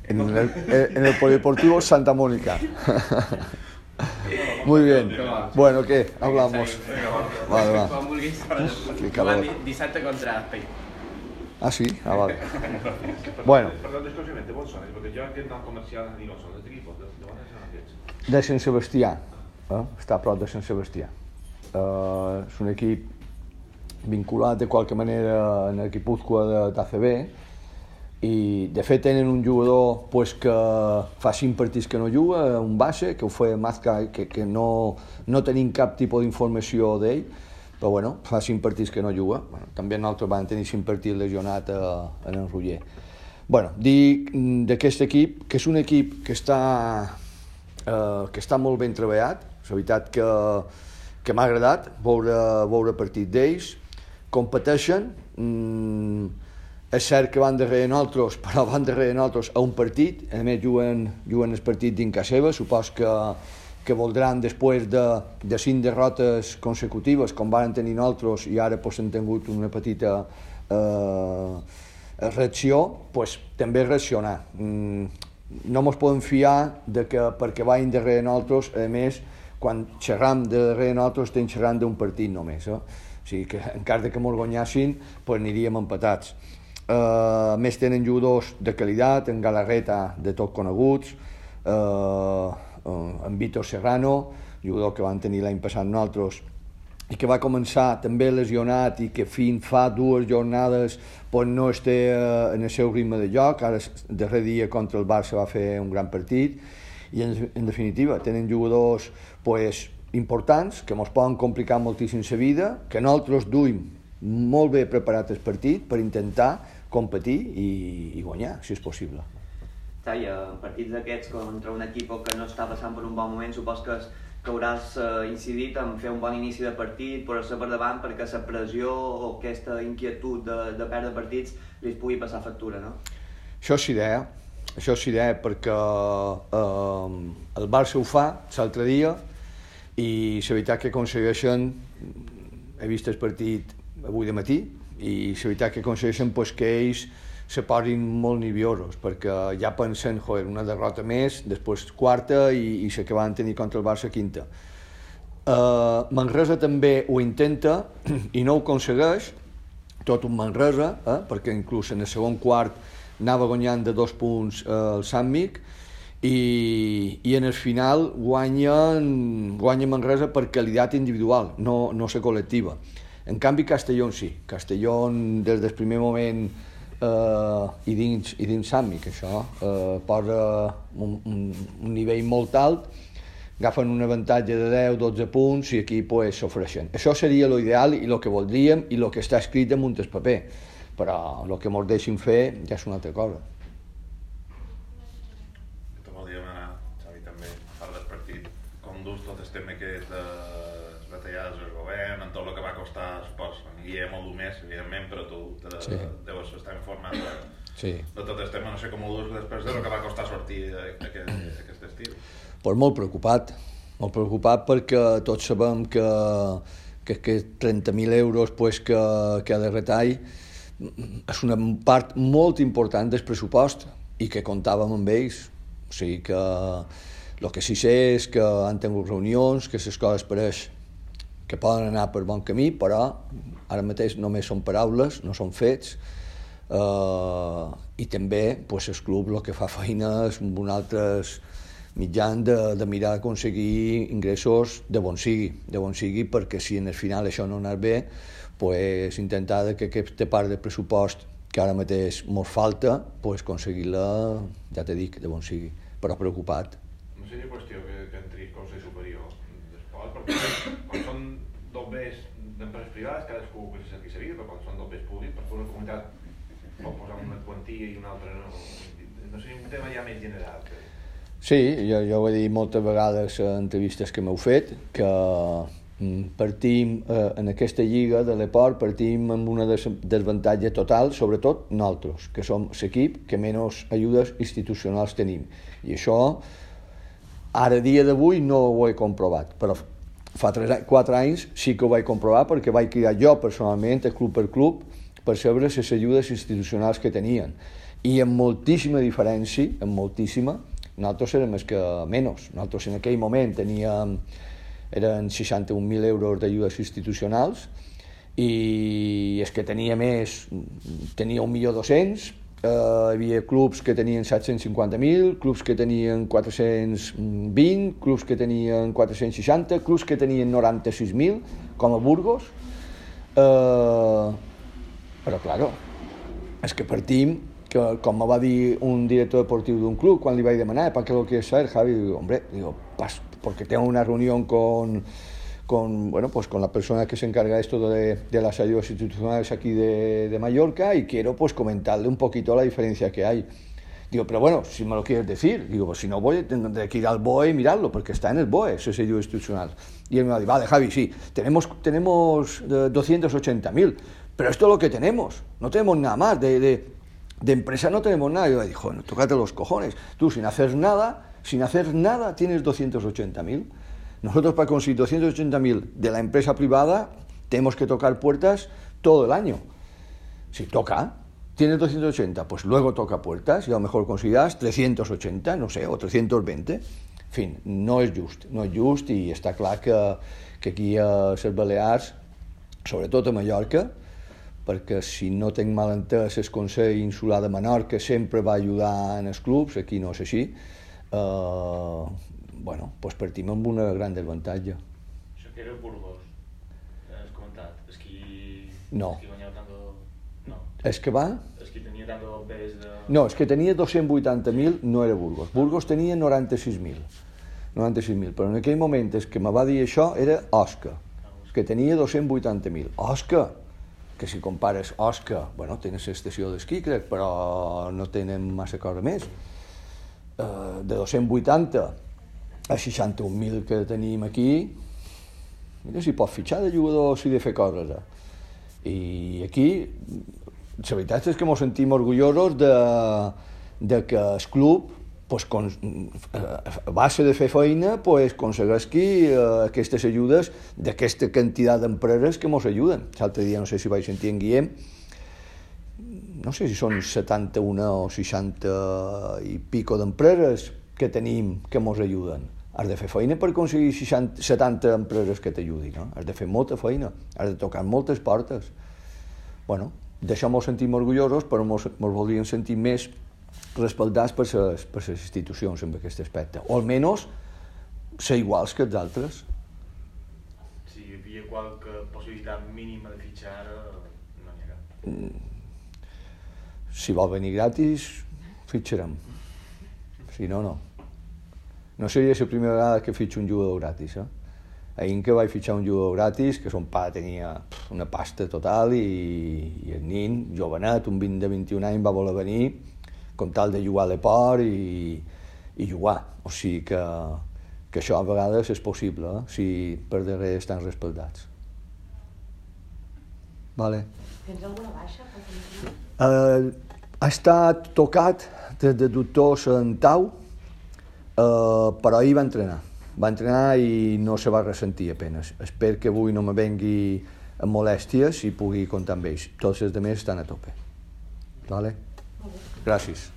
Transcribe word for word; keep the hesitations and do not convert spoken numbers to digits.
En el, en el Polideportivo Santa Mónica. Muy bien. Bueno, ¿qué? Hablamos. Vale, va. Qué calor. Dissabte contra Spain. Ah, sí? Ah, vale. Bueno. Perdón, exclusivamente, ¿vos sois? Porque yo entiendo comercial y no son de equipos. ¿De dónde son aquests? De Sant Sebastià. Eh? Està a prop de Sant Sebastià. Uh, és un equip vinculat de qualque manera en el Guipúzcoa d'A C B i de fet tenen un jugador pues, que fa cinc partits que no juga, un base, que ho fa Mazca, que, que no, no tenim cap tipus d'informació d'ell, però bueno, fa cinc partits que no juga. Bueno, també nosaltres vam tenir cinc partits lesionat a, en el Roger. Bueno, dir d'aquest equip, que és un equip que està, eh, que està molt ben treballat, és veritat que, que m'ha agradat veure, veure partit d'ells, competeixen, mm, és cert que van darrere nosaltres, però van darrere nosaltres a un partit, a més juguen, juguen el partit dins casa seva, supos que, que voldran després de, de cinc derrotes consecutives, com van tenir nosaltres, i ara pues, han tingut una petita eh, reacció, pues, també reaccionar. Mm, no ens podem fiar de que perquè vagin darrere nosaltres, a més, quan xerram de darrere nosaltres estem xerrant d'un partit només. Eh? O sigui que encara que ens guanyassin, pues, aniríem empatats. Uh, més tenen jugadors de qualitat, en Galarreta de tot coneguts, uh, uh, en Víctor Serrano, jugador que van tenir l'any passat nosaltres, i que va començar també lesionat i que fins fa dues jornades pues, no està uh, en el seu ritme de joc. Ara, el darrer dia contra el Barça va fer un gran partit i en, en definitiva tenen jugadors pues, importants que ens poden complicar moltíssim la vida, que nosaltres duim molt bé preparat el partit per intentar competir i, i guanyar, si és possible. Sí, en partits d'aquests contra un equip que no està passant per un bon moment, supos que, que hauràs eh, incidit en fer un bon inici de partit, posar-se per davant perquè la pressió o aquesta inquietud de, de perdre partits li pugui passar factura, no? Això és idea, això és idea perquè eh, el Barça ho fa l'altre dia i la veritat que aconsegueixen, he vist el partit avui de matí, i la veritat que aconsegueixen pues, que ells se posin molt nerviosos, perquè ja pensen, joder, una derrota més, després quarta i, i la que van tenir contra el Barça quinta. Uh, Manresa també ho intenta i no ho aconsegueix, tot un Manresa, eh? perquè inclús en el segon quart anava guanyant de dos punts eh, el Sàmmic, i, i en el final guanya, guanya Manresa per qualitat individual, no, no la col·lectiva. En canvi, Castellón sí. Castellón, des del primer moment, eh, i dins, i dins Sàmmic, això, eh, posa un, un, un nivell molt alt, agafen un avantatge de deu dotze punts i aquí pues, s'ofreixen. Això seria l'ideal i el que voldríem i el que està escrit damunt el paper, però el que ens deixin fer ja és una altra cosa. Te voldríem anar, Xavi, també, a part del partit, com dus tot el tema aquest de retallades del govern, en tot el que va costar, supos, en Guillem o el més, evidentment, però tu te, sí. deus estar informat de, sí. de tot el tema, no sé com ho dus després de el que va costar sortir aquest, aquest estiu. Pues molt preocupat, molt preocupat perquè tots sabem que, que, que trenta mil euros pues, que, que ha de retall és una part molt important del pressupost i que comptàvem amb ells. O sigui que el que sí sé és que han tingut reunions, que les coses pareix que poden anar per bon camí, però ara mateix només són paraules, no són fets, eh, i també pues, el club el que fa feina és amb un altres mitjans de, de mirar d'aconseguir ingressos de bon sigui, de bon sigui, perquè si en el final això no anés bé, pues, intentar que aquesta part del pressupost que ara mateix ens falta, pues, aconseguir-la, ja te dic, de bon sigui, però preocupat. No seria qüestió que, que entri Consell Superior d'Esport, perquè quan són dobbers d'empreses privades, cadascú que se cerqui sa vida, però quan són dobbers públics, perquè una comunitat pot posar una quantia i una altra no. No seria un tema ja més general. Que... Sí, jo, jo ho he dit moltes vegades en entrevistes que m'heu fet, que partim eh, en aquesta lliga de l'Eport, partim amb una desavantatge total, sobretot nosaltres, que som l'equip que menys ajudes institucionals tenim. I això, ara dia d'avui, no ho he comprovat, però fa tres, quatre anys sí que ho vaig comprovar perquè vaig cridar jo personalment, club per club, per saber les ajudes institucionals que tenien. I amb moltíssima diferència, amb moltíssima, nosaltres érem més que menys. Nosaltres en aquell moment teníem, eren seixanta-un mil euros d'ajudes institucionals, i és que tenia més, tenia un milió dos-cents, eh, hi havia clubs que tenien set-cents cinquanta mil, clubs que tenien quatre-cents vint, clubs que tenien quatre-cents seixanta, clubs que tenien noranta-sis mil, com a Burgos. Eh, però, claro, és que partim, que, com me va dir un director deportiu d'un club, quan li vaig demanar, ¿para qué lo quieres saber, Javi? Digo, hombre, digo, pas, porque tengo una reunión con... Con, bueno, pues con la persona que se encarga esto de, de las ayudas institucionales aquí de, de Mallorca, y quiero pues comentarle un poquito la diferencia que hay. Digo, pero bueno, si me lo quieres decir, digo, pues si no voy, tendré que ir al B O E y mirarlo, porque está en el B O E, ese ayuda institucional. Y él me va a decir, vale, Javi, sí, tenemos, tenemos doscientos ochenta mil, pero esto es lo que tenemos, no tenemos nada más, de, de, de empresa no tenemos nada. Y yo le dije, bueno, tócate los cojones, tú sin hacer nada, sin hacer nada tienes doscientos ochenta mil. Nosotros para conseguir doscientos ochenta mil de la empresa privada tenemos que tocar puertas todo el año. Si toca, tienes doscientos ochenta, pues luego toca puertas y a lo mejor conseguirás trescientos ochenta, no sé, o trescientos veinte. En fin, no és just, no és just, i està clar que, que aquí a les Balears, sobretot a Mallorca, perquè si no tenc mal entès, el Consell Insular de Menorca sempre va ajudar en els clubs, aquí no és així, eh, bueno, pues partim amb una gran desavantatge. Això que era Burgos, has comentat, és qui... No. És qui guanyava tant de... No. És que va? És qui tenia tant de pes de... No, és que tenia dos-cents vuitanta mil, no era Burgos. Burgos tenia noranta-sis mil. noranta-sis mil, però en aquell moment és que me va dir això era Osca, que tenia dos-cents vuitanta mil. Osca, que si compares Osca, bueno, tens l'estació d'esquí, crec, però no tenen massa cosa més. Uh, de dos-cents vuitanta a seixanta-un mil que tenim aquí, mira si pots fitxar de jugador si de fer coses. Eh? I aquí, la veritat és que ens sentim orgullosos de, de que el club, pues, con, a base de fer feina, pues, aconsegueixi uh, aquestes ajudes d'aquesta quantitat d'empreses que ens ajuden. L'altre dia, no sé si vaig sentir en Guillem, no sé si són setanta-un o seixanta i pico d'empreses que tenim que ens ajuden. Has de fer feina per aconseguir seixanta, setanta empreses que t'ajudin, no? Has de fer molta feina, has de tocar moltes portes. Bueno, d'això ens sentim orgullosos, però ens voldríem sentir més respaldats per les, per les institucions en aquest aspecte, o almenys ser iguals que els altres. Si hi havia qualque possibilitat mínima de fitxar, no n'hi ha cap. Si vol venir gratis, fitxarem. Si no, no. No seria la primera vegada que fitxo un jugador gratis. Eh? Ahir que vaig fitxar un jugador gratis, que son pare tenia una pasta total, i, i el nin, jovenet, un vint de vint-i-un anys, va voler venir com tal de jugar a l'Eport i, i jugar. O sigui que, que això a vegades és possible, eh? Si per darrere estan respaldats. Vale. Tens alguna baixa? Uh, ha estat tocat des de doctors en Tau, uh, però ahir va entrenar. Va entrenar i no se va ressentir apenas. Espero que avui no me vengui amb molèsties i pugui comptar amb ells. Tots els altres estan a tope. Vale? Gràcies.